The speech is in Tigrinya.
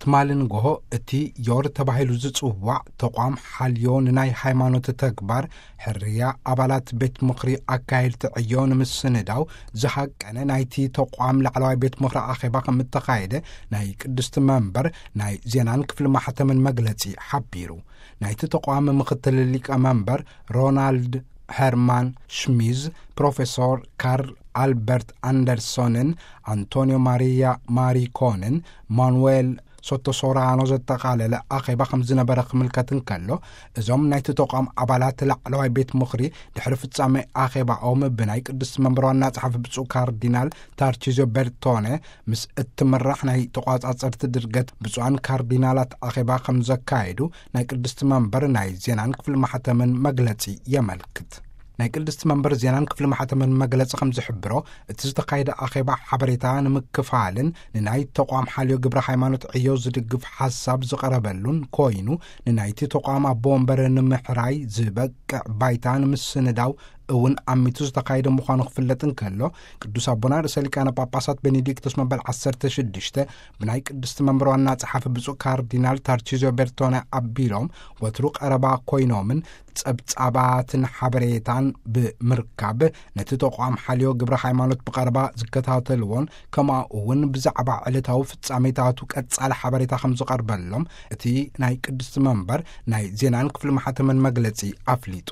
ትማሊ ንጎሆ እቲ ዮር ተባሂሉ ዝጽዋዕ ተቋም ሓልዮ ንናይ ሃይማኖት ተግባር ሕርያ ኣባላት ቤት ምኽሪ ኣካየድቲ ዕዮ ንምስንዳው ዝሃቀነ ናይቲ ተቋም ላዕለዋይ ቤት ምኽሪ ኣኼባ ከም እተኻየደ ናይ ቅድስቲ መንበር ናይ ዜናን ክፍሊ ማሕተምን መግለጺ ሓቢሩ። ናይቲ ተቋም ምኽትል ሊቀ መንበር ሮናልድ ሄርማን ሽሚዝ፣ ፕሮፌሶር ካርል ኣልበርት ኣንደርሶንን ኣንቶኒዮ ማሪያ ማሪኮንን ማኑዌል ሶቶሶራኖ ዘጠቓለለ ኣኼባ ከም ዝነበረ ክምልከት እንከሎ፣ እዞም ናይቲ ተቋም ኣባላት ላዕለዋይ ቤት ምኽሪ ድሕሪ ፍጻሜ ኣኼባኦም ብናይ ቅድስቲ መንበር ዋና ጸሓፊ ብፁዕ ካርዲናል ታርቺዞ ቤርቶነ ምስ እትምራሕ ናይ ተቋጻጸርቲ ድርገት ብፁዓን ካርዲናላት ኣኼባ ከም ዘካየዱ ናይ ቅድስቲ መንበር ናይ ዜናን ክፍሊ ማሕተምን መግለጺ የመልክት። ናይ ቅድስቲ መንበር ዜናን ክፍሊ ማሕተምን መግለጺ ከም ዝሕብሮ፣ እቲ ዝተኻየደ ኣኼባ ሓበሬታ ንምክፋልን ንናይ ተቋም ሓልዮ ግብረ ሃይማኖት ዕዮ ዝድግፍ ሓሳብ ዝቐረበሉን ኮይኑ፣ ንናይቲ ተቋም ኣቦ ወንበር ንምሕራይ ዝበቅዕ ባይታ ንምስንዳው እውን ኣሚቱ ዝተኻየደ ምዃኑ ክፍለጥ እንከሎ፣ ቅዱስ ኣቦና ርእሰ ሊቃነ ጳጳሳት ቤኔዲክቶስ መበል ዓሰርተ ሽዱሽተ ብናይ ቅድስቲ መንበር ዋና ጸሓፊ ብፁዕ ካርዲናል ታርቺዞ ቤርቶነ ኣቢሎም ወትሩ ቀረባ ኮይኖምን ጸብጻባትን ሓበሬታን ብምርካብ ነቲ ተቋም ሓልዮ ግብረ ሃይማኖት ብቐረባ ዝከታተልዎን ከምኡ እውን ብዛዕባ ዕለታዊ ፍጻሜታቱ ቀጻሊ ሓበሬታ ከም ዝቐርበሎም እቲ ናይ ቅድስቲ መንበር ናይ ዜናን ክፍሊ ማሕተምን መግለጺ ኣፍሊጡ።